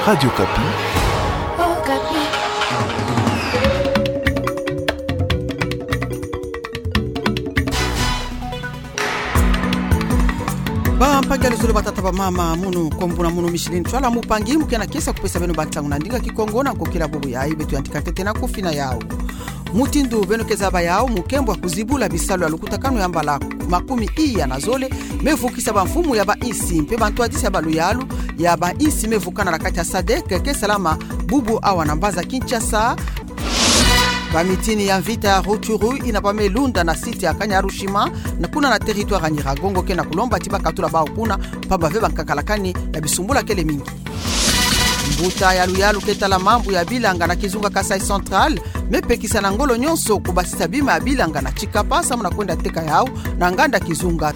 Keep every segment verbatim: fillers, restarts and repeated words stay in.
Radio Okapi. Bampangi ya luzolo, batata, bamama, mono kombo na mono Micheline Ntwala Mupangi, mu kena kiese ya kupesa beno bantangu na ndinga Kikongo na nkokila bubu yayi. Beto yantika ntete na kufina yawu. Mutindu beno ke zaba yawu, mukembo ya kuzibula bisalu ya lukutakanu ya mbala makumi iya na zole me vukisa bamfumu ya bainsi mpe bantwadisi ya baluyalu ya bainsi me vukana na kati ya sadec ke salama bubu awa na mbanza Kinshasa. Bamitini ya mvita ya Rutshuru yina ba me lunda na site ya Kanyarushima, na kuna na territoire ya Nyiragongo, ke na kulomba ti ba katula bawu kuna, mpamba ve ba nkakalakani ya bisumbula kele mingi. Mbuta ya luyalu ke tala mambu ya bilanga na kizunga Kasaï Central me pekisa na ngolo nyonso kubasisa bima ya bilanga na Tshikapa samu na kwenda teka yawu na nganda kizunga.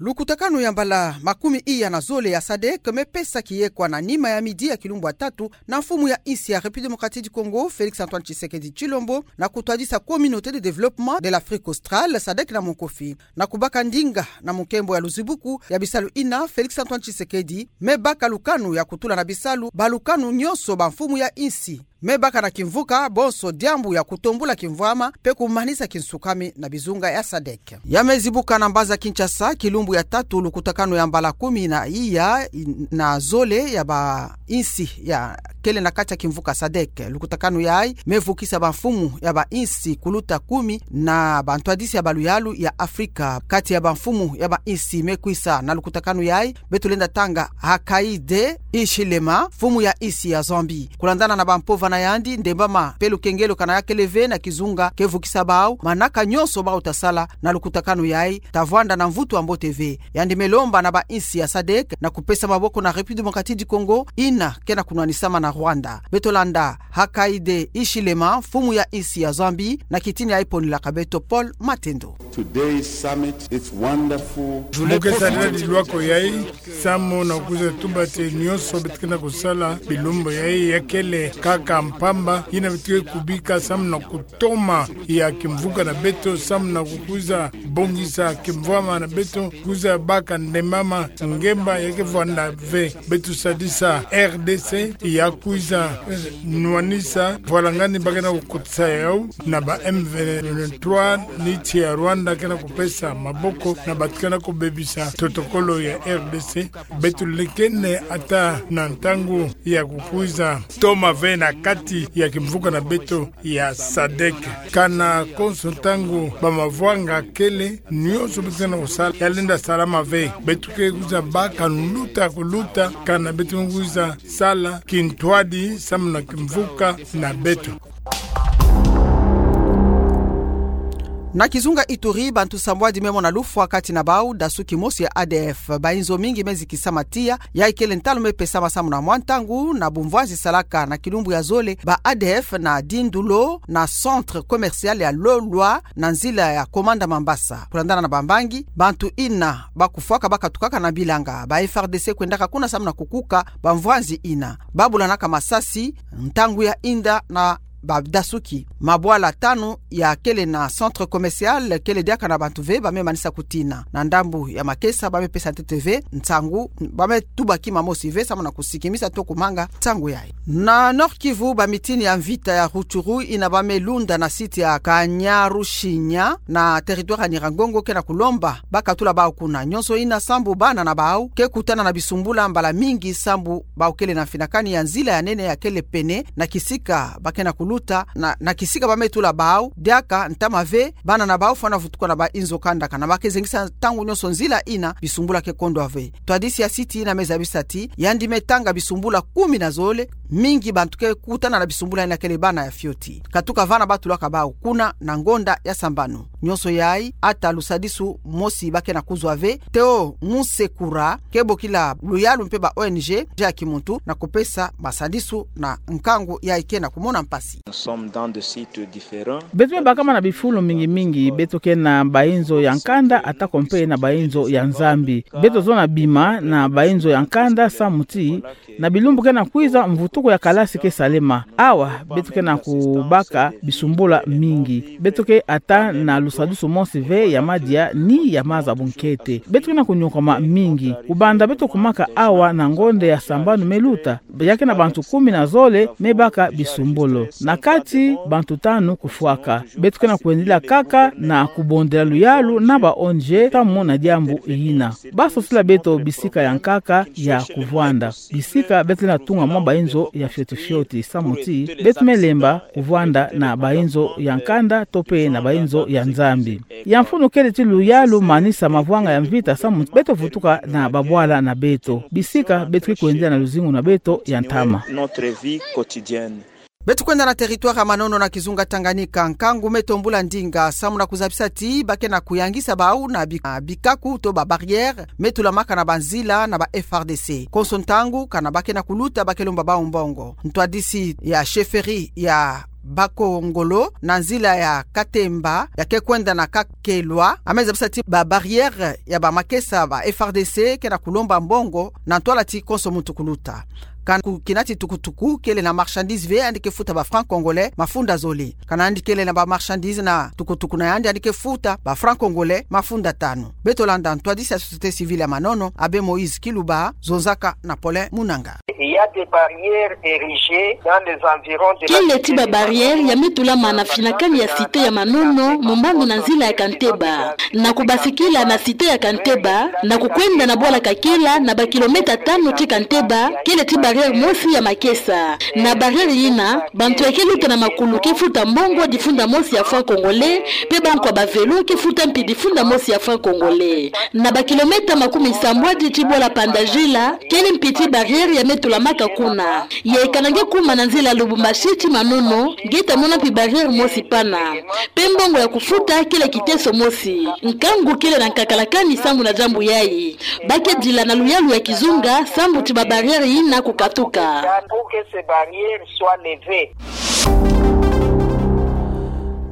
Lukutakanu ya mbala makumi iya na zole ya sadec me pesa kiyekwa na nima ya midi ya kilumbu ya tatu na mfumu ya insi ya République Démocratique du Congo, Félix Antoine Tshisekedi Tshilombo, na kutwadisa Communauté de Développement de l'Afrique Australe, sadec na monkofi. Na kubaka ndinga na mukembo ya luzibuku ya bisalu yina, Félix Antoine Tshisekedi me baka lukanu ya kutula na bisalu balukanu nyonso bamfumu ya insi me baka na kimvuka bonso diambu ya kutombula kimvwama mpe kumanisa kinsukami na bizunga ya sadec. Ya me zibuka na mbanza Kinshasa kilumbu ya tatu lukutakanu ya mbala kumi na iya na zole ya bainsi ya kele na kati ya kimvuka sadec. Lukutakanu yayi me vukisa bamfumu ya bainsi kuluta kumi na bantwadisi ya baluyalu ya Afrika. Kati ya bamfumu ya bainsi me kwisa na lukutakanu yayi, beto lenda tanga Hakainde Hichilema, mfumu ya insi ya Zambie. Kulandana na bampova na yandi, ndembama mpe lukengelo kana ya kele ve na kizunga ke vukisa bawu, manaka nyonso bawu ta sala na lukutakanu yayi ta vwanda na mvutu ya mbote ve. Yandi me lomba na bainsi ya sadec na kupesa maboko na République Démocratique du Congo yina ke na kunwanisama na Rwanda. Beto landa Hakainde Hichilema, mfumu ya insi ya Zambie, na kitini yayi ponilaka beto Paul Matendo. Today's summit, it's wonderful. Mu ke sadila lilwako yayi samu na kwiza tuba ti nyonso beto ke na kusala bilumbu yayi ya kele kaka mpamba, yina beto ke kubika samu na kutoma ya kimvuka na beto, samu na kukwiza bongisa kimvwama na beto, kwiza baka ndembama ngemba ya ke vwanda ve. Beto sadisa R D C ya kwiza, eh, nwanisa vwalangani ba ke na kukotisa yawu na ba M vingt-trois, ni ti ya Rwanda ke na kupesa maboko na bato ke na kubebisa totokolo ya R D C. Beto lekene ata na ntangu ya kukwiza toma ve na kati ya kimvuka na beto ya sadec. Kana konso ntangu bamavwanga kele, nyonso beto ke na kusala ya lenda salama ve. Beto ke kwiza baka luta kuluta, kana beto kwiza sala kintwadi samu na kimvuka na beto. Na kizunga Ituri, bantu sambwadi me mona lufwa kati na bawu dasuki mosi ya A D F. Bayinzo mingi me zikisama tiya, yayi kele ntalu me pesama samu na mwa ntangu na bumvwazi salaka na kilumbu ya zole ba A D F na dindulo na centre commercial ya Lolwa na nzila ya Komanda Mambasa. Kulandana na bambangi, bantu yina ba kufwaka ba katukaka na bilanga, ba F A R D C kwendaka kuna samu na kukuka bamvwazi yina. Ba bulanaka masasi ntangu ya yinda na badasuki. Mabwala tanu ya kele na centre commercial kele diaka na bantu ve, ba me manisa kutina. Na ndambu ya makesa, ba me pesa ntete ve nsangu, ba me tuba kima mosi ve samu na kusikimisa to kumanga nsangu yayi. Na Nord-Kivu, bamitini ya mvita ya Rutshuru yina ba me lunda na site ya Kanyaruchinya na territoire ya Nyiragongo ke na kulomba ba katula bawu kuna. Nyonso yina sambu bana na bawu ke kutana na bisumbula mbala mingi sambu bawu kele na mfinakani ya nzila ya nene ya kele pene na kisika ba ke na kuluta, na, na kisika ba me tula bawu diaka ntama ve, bana na bawu fwana vutuka na bayinzo kanda, kana ba ke zengisa ntangu nyonso nzila yina bisumbula ke kondwa ve. Ntwadisi ya site yina me zabisa ti yandi me tanga bisumbula kumi na zole, mingi bantu ke kutana na bisumbula yina kele bana ya fioti. Katuka vana ba tulaka bawu kuna na ngonda ya sambanu. Nyonso yayi, ata lusadisu mosi ba ke na kuzwa ve. Théo Musekura ke bokila luyalu mpe ba O N G ya kimuntu na kupesa masadisu na nkangu yayi ke na kumona mpasi. Nous sommes dans des sites différents. Beto me bakama na bifulu mingi mingi, beto ke na bayinzo ya nkanda, atako mpe na bayinzo ya Nzambi. Beto zona bima na bayinzo ya nkanda samu ti na bilumbu ke na kwiza, mvutuku ya kalasi ke salema. Awa, beto ke na kubaka bisumbula mingi. Beto ke ata na Lusadusu mosi ve ya madia ni ya maza bunkete. Beto ke na kunyokwama mingi. Kubanda beto kumaka awa na ngonde ya sambanu me luta, ya ke na bantu kumi na zole me baka bisumbolo. Na kati, bantu tanu kufwaka. Beto ke na kwendila kaka na kubondela luyalu na ba O N G samu na diambu yina. Basosila beto bisika ya nkaka ya kuvwanda. Bisika beto lenda tunga mwa bainzo ya fioti fioti samu ti beto me lemba kuvwanda na bainzo ya nkanda to pe na bainzo ya Nzambi. Ya mfunu kele ti luyalu manisa mavwanga ya mvita samu beto vutuka na babwala na beto. Bisika beto ke kwendila na luzingu na beto ya ntama. Beto kwenda na territoire ya Manono na kizunga Tanganyika, nkangu me tombula ndinga samu na kuzabisa ti ba ke na kuyangisa bau na bi-, na bikaku to ba barrière me tulamaka na banzila na ba F R D C. Konso ntangu, kana ba ke na kuluta ba ke lomba bau mbongo. Ntwadisi ya chefferie ya Bakongolo na nzila ya Katemba ya ke kwenda na Kakelwa, ame zabisa ti ba barrière ya bamakesa ba F R D C ke na kulomba mbongo na ntwala ti konso muntu kuluta. Kana ku kinati tukutuku kele na marchandise ve, yandi ke futa ba francs congolais mafunda zole. Kana yandi kele na ba marchandise na tukutuku na yandi, yandi ke futa ba francs congolais mafunda tanu. Beto landa ntwadisi ya société civile ya Manono, Abbé Moïse Kiluba, zonzaka na Paulin Munanga. Il y a des barrières érigées dans les environs de la cité de Manono. Kele ti ba barrière ya me tulama na finakani ya cité ya Manono, mombandu na nzila ya Kanteba. Na kubasikila na cité ya Kanteba, na kukwenda na bwala Kakela na ba kilomètre tanu ti Kanteba, kele ti barrière mosi ya makesa. Na barrière yina, bantu ya ke luta na makulu ke futa mbongo difunda mosi ya francs congolais, pe bankwa ba vélo ke futa mpi difunda mosi ya francs congolais. Na ba kilomètre makumi sambwadi ti bwala Pandajila, kele mpi ti barrière ya me tulamaka kuna. Ye kana nge kuma na nzila Lubumbashi ti Manono, nge ta mona mpi barrière mosi pana. Pe mbongo ya kufuta kele kiteso mosi. Nkangu kele na nkakalakani samu na diambu yayi. Ba ke dila na luyalu ya kizunga, samu ti ba barrière yina kukatuka. Pour que ces barrières soient levées.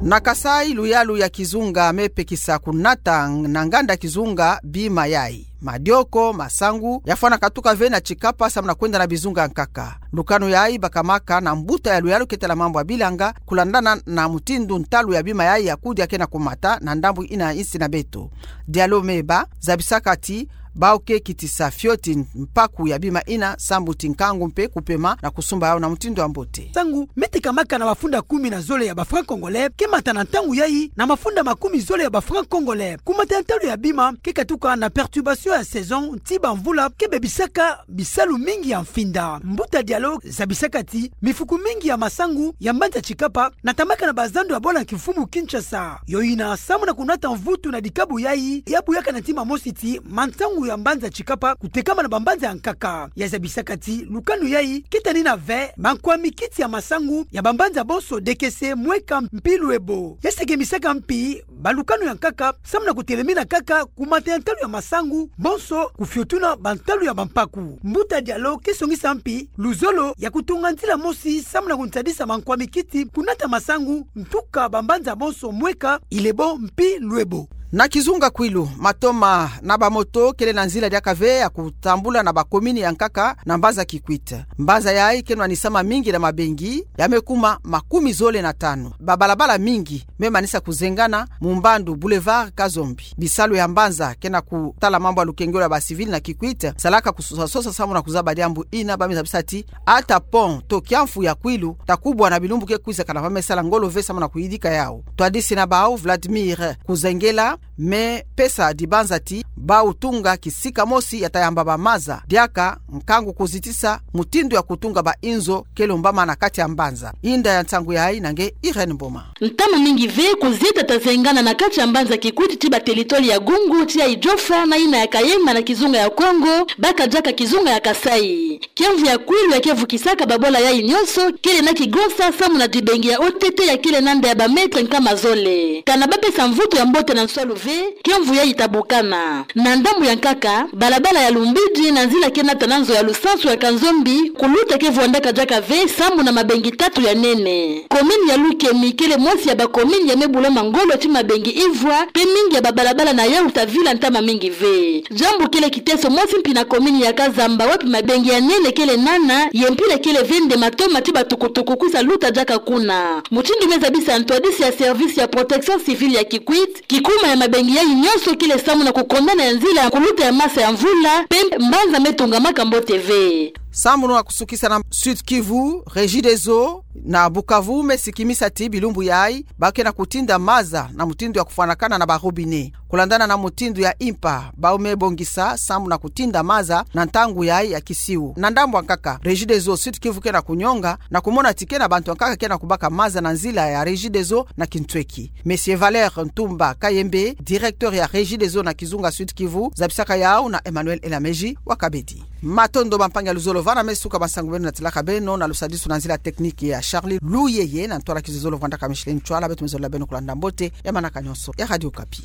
Na Kasaï, luyalu ya kizunga me pekisa kunata na nganda kizunga bima yayi. Madioko, masangu, ya fwana katuka ve na Tshikapa samu na kwenda na bizunga nkaka. Lukanu yayi bakamaka na mbuta ya luyalu ke tala mambu ya bilanga, kulandana na mutindu ntalu ya bima yayi ya kudi ya ke na kumata na ndambu yina insi na beto. Dialo Meba zabisaka ti bau ke kitisa fioti mpaku ya bima yina, samu ti nkangu mpe kupema na kusumba yau na mutindu ya mbote. Sangu me tekamaka na mafunda kumi na zole ya ba francs congolais, ke mata na ntangu yayi na mafunda makumi zole ya ba francs congolais. Kumata ya ntalu ya bima ke katuka na perturbation ya saison ti bamvula ke bebisaka bisalu mingi ya mfinda. Mbuta Dialo zabisaka ti mifuku mingi ya masangu ya mbanza Tshikapa natamaka na bazando ya bwala kimfumu Kinshasa. Yo yina samu na kunata mvutu na dikabu yayi, ya buyaka na ntima mosi ti mansangu ya mbanza Tshikapa kutekama na bambanza ya nkaka. Ya zabisaka ti lukanu yayi ke tanina ve mankwa mikiti ya masangu ya bambanza bonso dekese, mweka mpi lwebo. Ya sekemisaka mpi balukanu ya nkaka samu na kutelemina kaka kumata ya ntalu ya masangu bonso kufiotuna bantalu ya bampaku. Mbuta Dialo ke songisa mpi luzolo ya kutunga nzila mosi samu na kunsadisa mankwa mikiti kunata masangu, ntuka bambanza bonso mweka, ilebo mpi lwebo. Na kizunga Kwilu, matoma na bamoto kele na nzila diaka ve ya kutambula na bakomini ya nkaka na mbanza Kikwit. Mbanza yayi ke nwanisama mingi na mabengi ya me kuma makumi zole na tanu. Babalabala mingi me manisa kuzengana, mumbandu Boulevard Kazombi. Bisalu ya mbanza ke na kutala mambu ya lukengelo ya ba civil na Kikwit salaka kusosasosa samu na kuzaba diambu yina. Ba me zabisa ti ata pont to kiamfu ya Kwilu ta kubwa na bilumbu ke kwiza, kana ba me sala ngolo ve samu na kuyidika yau. Twadisi na bau Vladimir Kuzengela me pesa dibanza ti bau tunga kisika mosi ya ta yamba bamaza diaka nkangu kuzitisa mutindu ya kutunga ba inzo ke lombama na kati ya mbanza. Inda ya nsangu yayi na nge Irène Mboma. Ntama mingi ve kuzieta ta zengana na kati ya mbanza Kikwit ti ba territoire ya Gungu, tia Idiofa na yina ya Kayemba na kizunga ya Kongo, baka diaka kizunga ya Kasaï. Kiamvu ya Kwilu ya ke vukisaka babwala yayi nyonso kele na kigosa samu na dibengi ya O T T ya kele na nda ya ba mètre nkama zole. Kana ba pesa mvutu ya mbote na nswa Ve, ke mvu yayi ta bukana. Na ndambu ya nkaka, balabala ya Lumbidi na nzila ke nata na nzo ya lusansu ya Kanzombi, kuluta ke vwandaka diaka ve, sambu na mabengi tatu ya nene. Commune ya Lukemi kele mosi ya ba commune ya me bulama ngolo ti mabengi ivwa, pe mingi ya babalabala na yau ta vila ntama mingi ve. Diambu kele kiteso mosi mpi na commune ya Kazamba, wapi mabengi ya nene kele nana, ye mpila kele ve nde matoma ti batukutuku kwisa luta diaka kuna. Mutindu me zabisa ntwadisi ya service ya protection civile ya Kikwit, kikuma ya mabengi yayi nyonso kele sambu na kukondana ya nzila ya kuluta ya masa ya mvula, pe mbanza me tungamaka mbote ve. Sambu na kusukisa na Sud-Kivu, Regideso na Bukavu me sikimisa ti bilumbu yayi, ba ke na kutinda maza na mutindu ya kufwanakana na ba robinet. Kulandana na mutindu ya impa, bau me bongisa sambu na kutinda maza na ntangu yayi ya kisiu. Na ndambu ya nkaka, Regideso Sud-Kivu ke na kunyonga, na kumona ti ke na bantu ya nkaka ke na kubaka maza na nzila ya Regideso na kintweki. Monsieur Valère Ntumba Kayembe, directeur ya Regideso na kizunga Sud-Kivu, zabisaka yau na Emmanuel Elameji wa Kabedi. Matondo bampangi ya luzolo, vana me suka bansangu beno natilaka beno na lusadisu na nzila technique ya Charlie Luyeye, na ntwala kizololo vwandaka Micheline Ntwala, beto me zololo beno kulanda mbote ya manaka nyonso ya Radio Okapi.